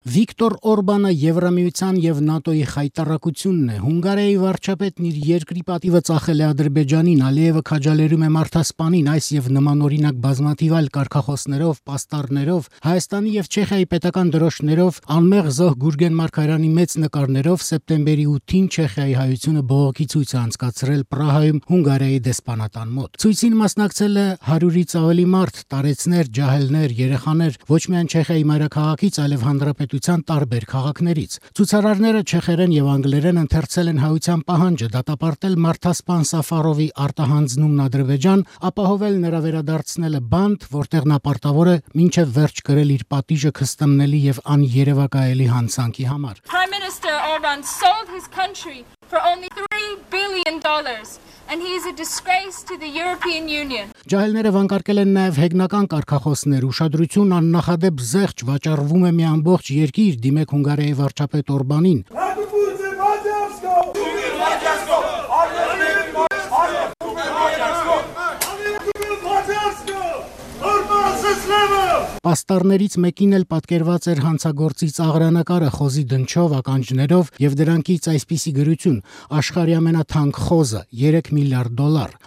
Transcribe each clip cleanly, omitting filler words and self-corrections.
Վիկտոր Օրբանը Եվրամիության եւ ՆԱՏՕ-ի խայտառակությունն է։ Հունգարիայի վարչապետն իր երկրի պատիվը ծախել է Ադրբեջանին, Ալիևը քաջալերում է մարդասպանին, այս եւ նմանօրինակ բազմաթիվ այլ կարգախոսներով, պաստառներով, Հայաստանի եւ Չեխիայի պետական դրոշներով, անմեղ զոհ Գուրգեն Մարգարյանի մեծ նկարներով սեպտեմբերի 8-ին Չեխիայի հայությունը բողոքի ցույց է անցկացրել Պրահայում Հունգարիայի դեսպանատան մոտ։ Ցույցին մասնակցել է 100-ից ավելի մարդ, տարեցներ, ջահելներ, երեխաներ, ոչ միայն Չեխիայի մայրաքաղաքից, այլև հանրապետության տարբեր քաղաքներից։ Ցուցարարները չեխերեն եւ անգլերեն ընթերցել են հայության պահանջը դատապարտել մարդասպան Սաֆարովի արտահանձնումն Ադրբեջան, ապահովել նրա վերադարձնելը բանտ, որտեղ նա պարտավոր է մինչև վերջ կրել իր պատիժը քստմնելի եւ աներևակայելի հանցանքի համար։ Prime Minister Orban sold his country for only $3 billion. And he is a disgrace to the European Union. Ջահելները վանկարկել են նաև հեգնական կարգախոսներ, ուշադրություն աննախադեպ զեղչ վաճառվում է մի ամբողջ երկիր դիմեք Հունգարիայի վարչապետ Օրբանին։ Պաստառներից մեկին էլ պատկերված էր հանցագործի ծաղրանակարը խոզի դնչով, ականջներով եւ դրանքից այսպիսի գրություն. աշխարհի ամենաթանկ խոզը $3 միլիարդ։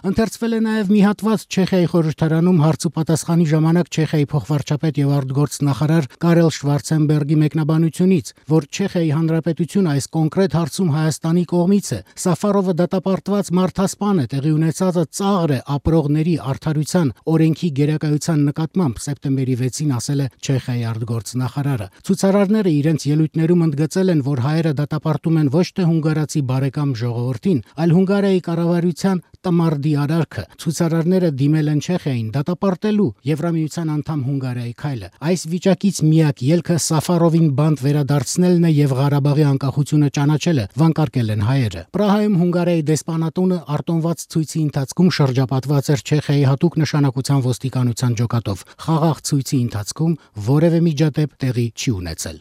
Ընթերցվել է նաեւ մի հատված Չեխիայի խորհրդարանում հարց ու պատասխանի ժամանակ Չեխիայի փոխվարչապետ եւ արտգործնախարար Կարել Շվարցենբերգի մեկնաբանությունից, որ Չեխիայի հանրապետությունը այս կոնկրետ հարցում Հայաստանի կողմից է։ Սաֆարովը դատապարտված մարդասպան է, տեղի ունեցածը ծաղր է ապրողների արդարության օրենքի գերակայության նկատմամբ սեպտեմբերի 6-ին ասել է Չեխիայի արտգործնախարարը։ Ցուցարարները իրենց ելույթներում ընդգծել են, որ հայերը դատապարտում են ոչ թե հունգարացի բարեկամ ժողովրդին, այլ Հունգարիայի կառավարության տմարդի արարքը։ Ցուցարարները դիմել են Չեխիային դատապարտելու Եվրամիության անդամ Հունգարիայի քայլը։ Այս վիճակից միակ ելքը Սաֆարովին բանտ վերադարձնելն է եւ Ղարաբաղի անկախությունը ճանաչելը, վանկարկել են հայերը։ Պրահայում Հունգարիայի դեսպանատունը արտոնված ցույցի ընթացքում շրջապատված էր Չեխիայի հատուկ նշանակության ոստիկանության ջոկատով։ Խաղաղ ցույցի ընթացքում որևէ միջադեպ տեղի չի ունեցել։